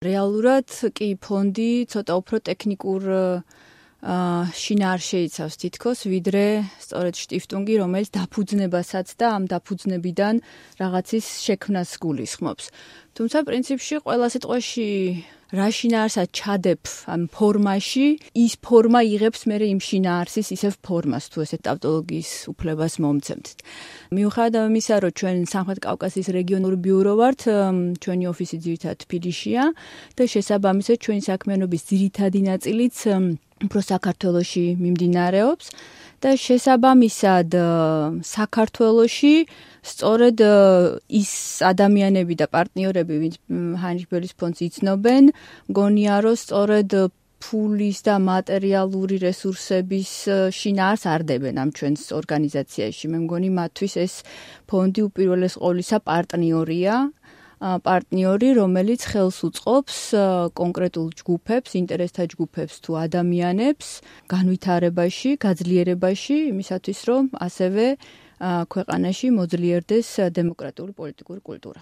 რეალურად კი ფონდი ცოტა უფრო ტექნიკურ შინაარს შეიცავს თითქოს, ვიდრე სწორედ შტიფტუნგი, რომელიც დაფუძნებასაც და ამ დაფუძნებიდან რაღაცის შექმნას გულისხმობს. თუმცა პრინციპში ყველა სიტყვაში რა შინაარსად ჩადებ ამ ფორმაში, ის ფორმა იღებს მერე იმ შინაარსის ისევ ფორმას, თუ ესე ტავტოლოგიის უფლებას მომცემთ. მიუხედავად ამისა, რომ ჩვენ სამხრეთ კავკასიის რეგიონული ბიურო ვართ, ჩვენი ოფისი ძირითადად თბილისშია და შესაბამისად ჩვენი საქმიანობის ძირითადი ნაწილიც უფრო საქართველოში მიმდინარეობს და შესაბამისად საქართველოში სწორედ ის ადამიანები და პარტნიორები, ვინც ჰაინრიხ ბერლის ფონდს იცნობენ, მგონია, რომ სწორედ ფულის და მატერიალური რესურსების შინაარს არდებენ ამ ჩვენს ორგანიზაციაში. მე მგონი მათთვის ეს ფონდი უპირველეს ყოვლისა პარტნიორი, რომელიც ხელს უწყობს კონკრეტულ ჯგუფებს, ინტერესთა ჯგუფებს თუ ადამიანებს განვითარებაში, გაძლიერებაში, იმისათვის, რომ ასევე ქვეყანაში მოძლიერდეს დემოკრატიული პოლიტიკური კულტურა.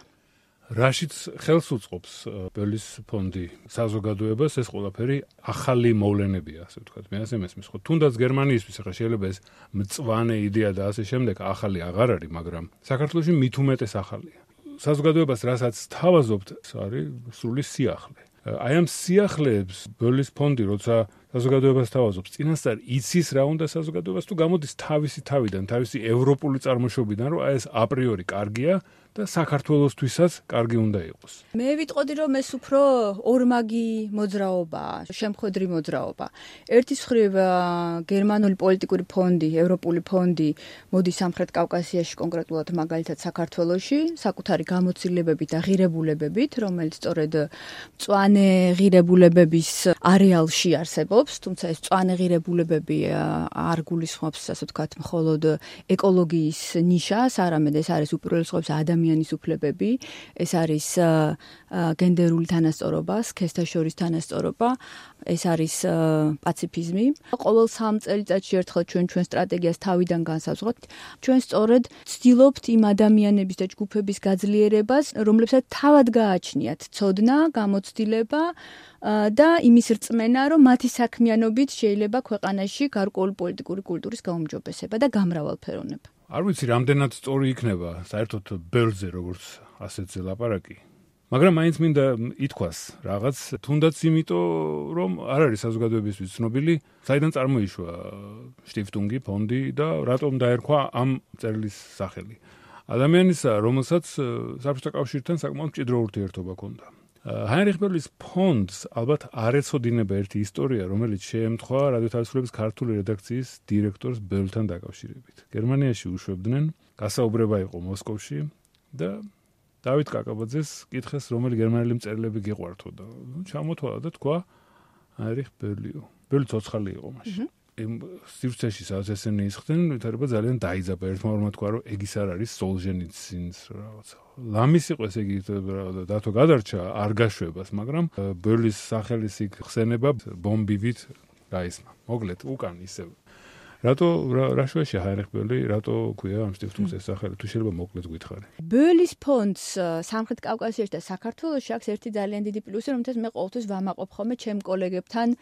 რაშიც ხელს უწყობს ბერლის ფონდი საზოგადოებას, ეს ყველაფერი ახალი მოვლენებია, ასე ვთქვათ. მე ასე მესმის, ხო, თუნდაც გერმანიისთვის ახლა შეიძლება ეს მწვანე იდეა და ასე შემდეგ ახალი აღარ არის, მაგრამ საქართველოში მით უმეტეს ახალია. საზოგადოებას რასაც თავაზობთ, არის სრული სიახლე. აი ამ სიახლეებს ბერლის ფონდი, როცა საზოგადოებას თავაზობს, წინასწარ იცის რა უნდა საზოგადოებას თუ გამოდის თავისი თავიდან, თავისი ევროპული წარმოშობიდან, რომ აი ეს აპრიორი კარგია და საქართველოსთვისაც კარგი უნდა იყოს. მე ვიტყოდი, რომ ეს უფრო ორმაგი მოძრაობაა, შემხედრი მოძრაობა. ერთის მხრივ გერმანული პოლიტიკური ფონდი, ევროპული ფონდი მოდის სამხრეთ კავკასიაში, კონკრეტულად მაგალითად საქართველოში, საკუთარი გამოცდილებებით და ღირებულებებით, რომელიც სწორედ მწვანე ღირებულებების არეალში არსებობს, თუმცა ეს მწვანე ღირებულებები არ გულისხმობს, ასე ვთქვათ, მხოლოდ ეკოლოგიის ნიშას, არამედ ეს არის უპირველეს ყოვლისა ადამიანის უფლებები, ეს არის გენდერული თანასწორობა, სქესთა შორის თანასწორობა, ეს არის პაციფიზმი. ყოველ 3 წელიწადში ერთხელ ჩვენ სტრატეგიას თავიდან განსაზღვრავთ. ჩვენ სწორედ ვცდილობთ იმ ადამიანების და ჯგუფების გაძლიერებას, რომლებსაც თავად გააჩნიათ ცოდნა, გამოცდილება და იმის რწმენა, რომ მათი საქმიანობით შეიძლება ქვეყანაში გარკვეული პოლიტიკური კულტურის გაუმჯობესება და გამრავალფეროვნება. არ ვიცი, რამდენად სწორი იქნება საერთოდ ბერლზე, როგორც ასეთზე ლაპარაკი. მაგრამ მაინც მინდა ითქვას რაღაც, თუნდაც იმიტომ, რომ არ არის საზოგადოებისთვის ცნობილი, საიდან წარმოიშვა შტიფტუნგი, ფონდი და რატომ დაერქვა ამ წერილის სახელი. ადამიანისა, რომელსაც საბჭოთა კავშირთან საკმაოდ მჭიდრო ურთიერთობა ჰქონდა. ჰაინრიხ ბერლის ფონდს ალბათ არ ეცოდინება ერთი ისტორია, რომელიც შეემთხვა რადიო თავისუფლების ქართული რედაქციის დირექტორს ბერლთან დაკავშირებით. გერმანიაში უშვებდნენ, გასაუბრება იყო მოსკოვში და დავით კაკაბაძეს კითხეს, რომელი გერმანელი მწერლები გიყვართო და ჩამოთვალა და თქვა ჰაინრიხ ბერლიო. ბერლი ცოცხალი იყო მაშინ. სივრცეში სადაც ესენი ისხდნენ, ვითარება ძალიან დაიძაბა. ერთმა თქვა, რომ ეგ ის არ არის სოლჟენიცინს რაღაცა. ლამის იყო ესე იგი დათო გადარჩა არ გაშვებას, მაგრამ ბერლის სახელის იქ ხსენება ბომბივით გაისმა. მოკლედ, უკან ისევ. რა შუაშია ჰაინრიხ ბერლი, რატო ქვია ამ შტიფტუნგს ეს სახელი, თუ შეიძლება მოკლედ გითხარი. ბერლის ფონდს სამხრეთ კავკასიაში და საქართველოში აქვს ერთი ძალიან დიდი პლუსი, რომელთაც მე ყოველთვის ვამაყობ ხოლმე ჩემ კოლეგებთან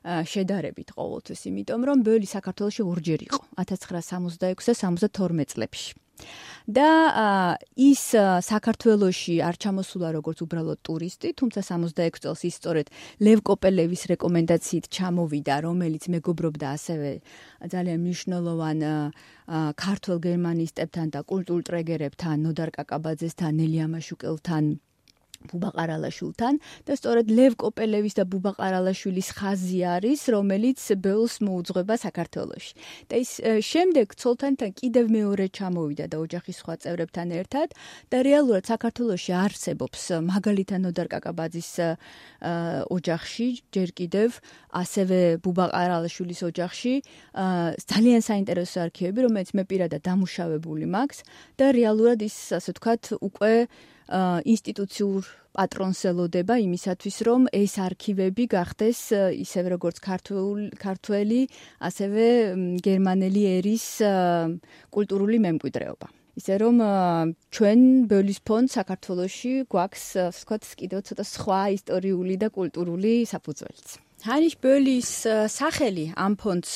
შედარებით ყოველთვის, იმიტომ რომ ბერლი საქართველოში ორჯერ იყო, 1966 და 72 წლებში. და ის საქართველოში არ ჩამოსულა როგორც უბრალოდ ტურისტი, თუმცა 66 წელს ის სწორედ ლევ კოპელევის რეკომენდაციით ჩამოვიდა, რომელიც მეგობრობდა ასევე ძალიან მნიშვნელოვან ქართველ გერმანისტებთან და კულტურულ ტრეგერებთან, ნოდარ კაკაბაძესთან, ნელი ამაშუკელთან, ბუბა ყარალაშვილთან და სწორედ ლევ კოპელევის და ბუბა ყარალაშვილის ხაზი არის, რომელიც ბერლს მოუძღვება საქართველოში. და ის შემდეგ ცოლთანთან კიდევ მეორე ჩამოვიდა და ოჯახის სხვა წევრებთან ერთად და რეალურად საქართველოში არსებობს მაგალითად ნოდარ კაკაბაძის ოჯახში ჯერ კიდევ ასევე ბუბა ყარალაშვილის ოჯახში ძალიან საინტერესო არქივები, რომელიც მე პირადად დამუშავებული მაქვს და რეალურად ის ასე ვთქვათ უკვე ინსტიტუციურ პატრონს ელოდება იმისათვის, რომ ეს არქივები გახდეს ისევე როგორც ქართველი, ასევე გერმანელი ერის კულტურული მემკვიდრეობა. ისე რომ ჩვენ ბოლის ფონდ საქართველოში გვაქვს ვთქვათ კიდევ ცოტა სხვა ისტორიული და კულტურული საფუძველიც. ჰაინრიხ ბოლის სახელი ამ ფონდს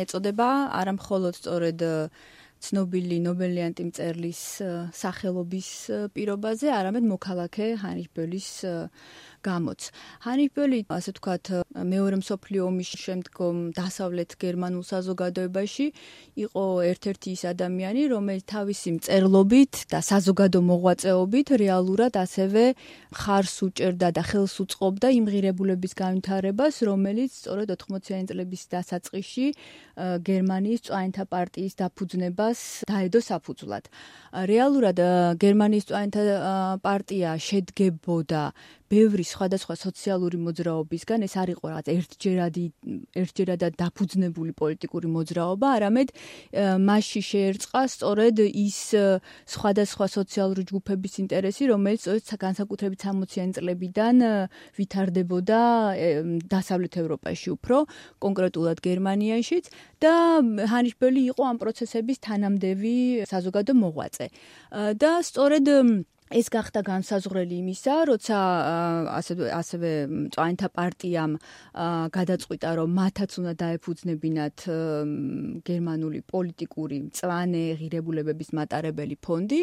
ეწოდება არამხოლოდ სწორედ ცნობილი ნობელიანტი მწერლის სახელობის პირობაზე, არამედ მოქალაქე ჰაინრიხ ბოლის გამოც. ჰაინრიხ ბოლი, ასე ვთქვათ, მეორე მსოფლიო ომის შემდგომ დასავლეთ გერმანულ საზოგადოებაში იყო ერთ-ერთი ის ადამიანი, რომელიც თავისი მწერლობით და საზოგადო მოღვაწეობით რეალურად ასევე ხარს უჭერდა და ხელს უწყობდა იმ ღირებულების განვითარებას, რომელიც სწორედ 80-იანი წლების დასაწყისში გერმანიის მწვანეთა პარტიის დაფუძნებას დაედო საფუძვლად. რეალურად გერმანიის მწვანეთა პარტია შედგებოდა ბევრი სხვადასხვა სოციალური მოძრაობისგან, ეს არ იყო რაღაც ერთჯერადად დაფუძნებული პოლიტიკური მოძრაობა, არამედ მასში შეერწყა სწორედ ის სხვადასხვა სოციალური ჯგუფების ინტერესი, რომელიც განსაკუთრებით 60-იანი წლებიდან ვითარდებოდა დასავლეთ ევროპაში უფრო, კონკრეტულად გერმანიაშიც და ჰაინრიხ ბოლი იყო ამ პროცესების თანამდევი საზოგადო მოღვაწე. და სწორედ ეს გახდა განსაზღვრელი იმისა, როცა ასევე მწვანეთა პარტიამ გადაწყვიტა, რომ მათაც უნდა დაეფუძნებინათ გერმანული პოლიტიკური მწვანე ღირებულებების მატარებელი ფონდი,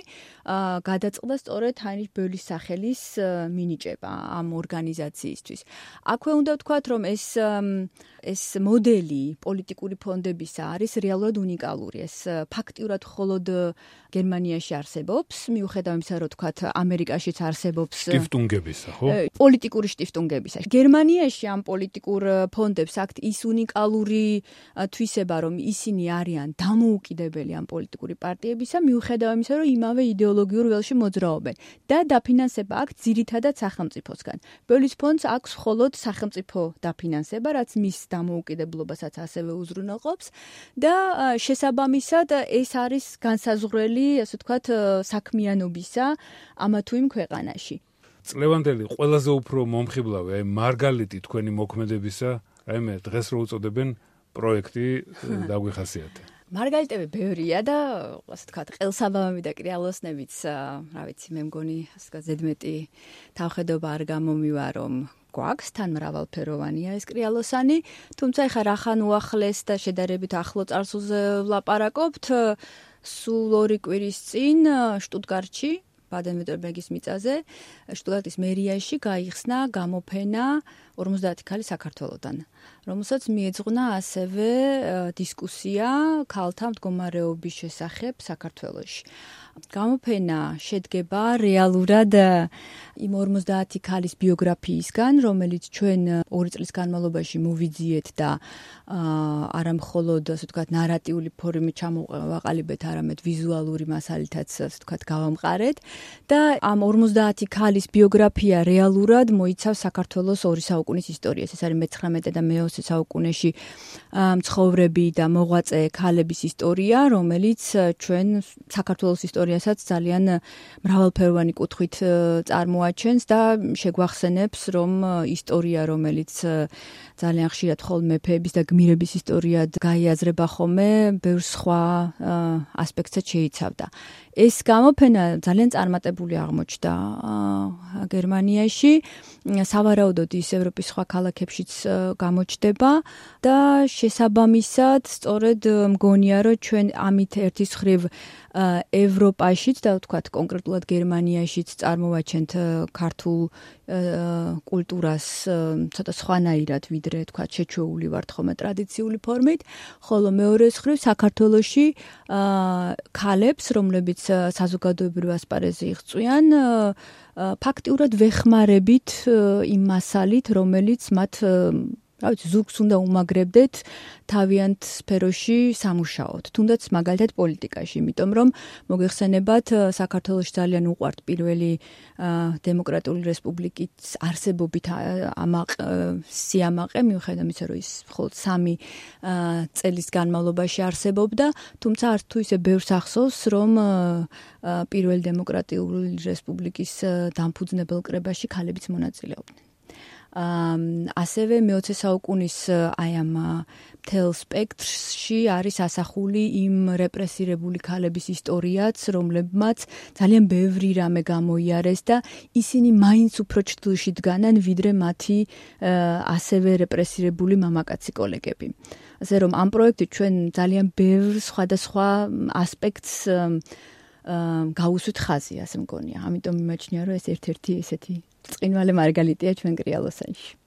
გადაწყდა სწორედ ჰაინრიხ ბოლის სახელის მინიჭება ამ ორგანიზაციისთვის. აქვე უნდა ვთქვათ, რომ ეს მოდელი პოლიტიკური ფონდებისა არის რეალურად უნიკალური. ეს ფაქტიურად მხოლოდ გერმანიაში არსებობს, მიუხედავ იმისა, რომ ვთქვათ, ამერიკაშიც არსებობს შტიფტუნგებისა, ხო? პოლიტიკური შტიფტუნგებისა. გერმანიაში ამ პოლიტიკურ ფონდებს აქვთ ის უნიკალური თვისება, რომ ისინი არიან დამოუკიდებელი ამ პოლიტიკური პარტიებისა, მიუხედავ იმისა, რომ იმავე იდეოლოგიურ ველში მოძრაობენ და დაფინანსება აქვთ ძირითადად სახელმწიფოსგან. ბოლის ფონდს აქვს მხოლოდ სახელმწიფო დაფინანსება, რაც მის დამოუკიდებლობასაც ასევე უზრუნველყოფს და შესაბამისად ეს არის განსაზღვრელი, ასე ვთქვათ, საქმიანობისა ამა თუ იმ ქვეყანაში. წლევანდელი ყველაზე უფრო მომხიბლავი, აი მარგალიტი თქვენი მოქმედებისა, რაიმე დღეს რო უწოდებენ პროექტი დაგვიხასიათე. მარგალიტები ბევრია და ასე ვთქვათ, ყელსაბამები და კრიალოსნებიც, რა ვიცი, მე მგონი, ასე ვთქვათ, ზედმეტი თავხედობა არ გამომივა, რომ გვაქვს თან მრავალფეროვანია ეს კრიალოსანი, თუმცა ეხლა რახან უახლეს და შედარებით ახლო წარსულზე ვლაპარაკობთ, სულ 2 კვირის წინ შტუტგარტში, ბადენ-ვიურტემბერგის მიწაზე, შტუტგარტის მერიაში გაიხსნა გამოფენა 50 ქალი საქართველოდან, რომელსაც მიეძღვნა ასევე დისკუსია ქალთა მდგომარეობის შესახებ საქართველოში. გამოფენა შედგება რეალურად იმ 50 ქალის ბიოგრაფიისგან, რომელიც ჩვენ 2 წლის განმავლობაში მოვიძიეთ და არა მხოლოდ, ასე ვთქვათ, ნარატიული ფორმით ჩამოვაყალიბეთ, არამედ ვიზუალური მასალითაც, ასე ვთქვათ, გავამყარეთ და ამ 50 ქალის ბიოგრაფია რეალურად მოიცავს საქართველოს 2 საუკუნის ისტორიას. ეს არის მე-19 და მე-20 საუკუნეში მცხოვრები და მოღვაწე ქალების ისტორია, რომელიც ჩვენ საქართველოს ისტორიასაც ძალიან მრავალფეროვანი კუთხით წარმოაჩენს და შეგვახსენებს, რომ ისტორია, რომელიც ძალიან ხშირად ხოლმე მეფეების და გმირების ისტორიად გაიაზრება ხოლმე, ბევრ სხვა ასპექტსაც შეიცავდა. ეს გამოფენა ძალიან წარმატებული აღმოჩნდა გერმანიაში, სავარაუდოდ ის ევროპის სხვა ქალაქებშიც გამოჩნდება და შესაბამისად სწორედ მგონია, რომ ჩვენ ამით ერთის მხრივ ევროპაშიც და ვთქვათ კონკრეტულად გერმანიაშიც წარმოვაჩენთ ქართულ კულტურას ცოტა სხვანაირად, ვიდრე ვთქვათ შეჩვეული ვართ ხოლმე ტრადიციული ფორმით, ხოლო მეორეს მხრივ საქართველოში ქალებს, რომლებიც საზოგადოებრივ ასპარეზზე იღწვიან, ფაქტიურად ვეხმარებით იმ მასალით, რომელიც მათ რა ვიცი, ზურგს უნდა უმაგრებდეთ თავიანთ სფეროში სამუშაოდ, თუნდაც მაგალითად პოლიტიკაში, იმიტომ რომ მოგეხსენებათ, საქართველოში ძალიან უყვართ პირველი დემოკრატიული რესპუბლიკის არსებობით სიამაყე, მიუხედავად იმისა, რომ ის მხოლოდ 3 წელის განმავლობაში არსებობდა, თუმცა არც თუ ისე ბევრს ახსოვს, რომ პირველი დემოკრატიული რესპუბლიკის დამფუძნებელ კრებაში ქალებიც მონაწილეობდნენ. ასევე მე-20 საუკუნის აი ამ მთელ სპექტრში არის ასახული იმ რეპრესირებული ქალების ისტორიაც, რომლებმაც ძალიან ბევრი რამე გამოიარეს და ისინი მაინც უფრო ჭრილში დგანან, ვიდრე მათი ასევე რეპრესირებული მამაკაცი კოლეგები. ასე რომ ამ პროექტით ჩვენ ძალიან ბევრ სხვადასხვა ასპექტს გაუსვით ხაზი, ასე მგონია. ამიტომ მიმაჩნია, რომ ეს ერთ-ერთი ესეთი წყინვალე მარგალიტია ჩვენ კრიალოსანში.